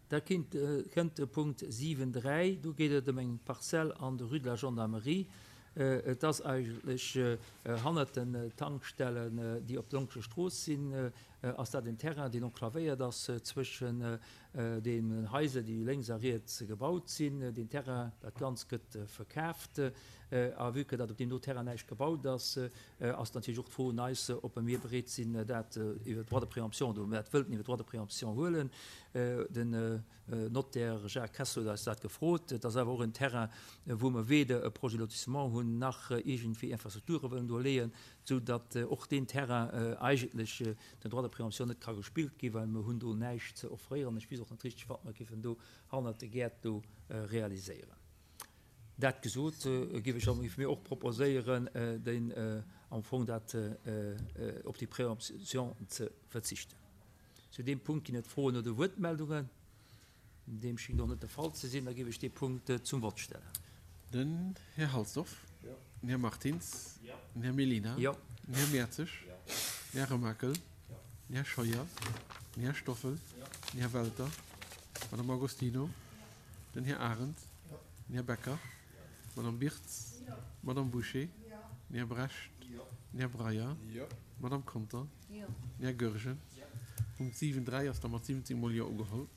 Da kënnt de Punkt 7, 3, do geet et ëm eng Parzell an der Rue de la Gendarmerie. Et ass eigentlech hannert den Tankstellen, déi op der Lonkescher Strooss sinn, ass dat en Terrain, deen enclavéiert ass zwëschen den Haiser, déi lénks a riets gebaut sinn. Deen Terrain, dat Ganz gëtt verkaaft. A vue que datt op deem do Terrain näischt gebaut ass, ass natierlech och d'Fro un eis, ob mir bereet sinn, dat iwwer Droit de préemption, oder ob mir dat wëllten iwwer Droit de préemption huelen. Den Notaire Jacques Kessler huet eis dat gefrot. Et ass awer och en Terrain, wou mer weder e Projet de lotissement hunn, nach iergendwéi Infrastrukture wëllen do leeën, sou datt och deen Terrain eigentlech den Droit de préemption net ka gespillt ginn, well mer hunn do näischt ze offréieren. Ech weess och net richteg, wat mer géifen do hannert de Gäert do realiséieren. Dat gesot, géif ech, géife mir och proposéieren, deen am Fong dat op déi Préemption ze verzichten. Zu deem Punkt ginn et Froen oder Wuertmeldungen. Deem schéngt och net de Fall ze sinn. Da géif ech dee Punkt zum Vott stellen. Den Här Halsdorf. Den Här Martins. Den Här Mellina. Den Här Mertzig. Den Här Remakel. Den Här Scheuer. Den Här Stoffel. Den Här Welter. D'Madame Agostino. Den Här Arendt. Den Här Becker. D'Madame Birtz. D'Madame Bouché. Den Här Brecht. Den Här Breyer. D'Madame Conter. Den Här Goergen. Punkt 7, 3 ass da mat 17 mol Jo ugeholl.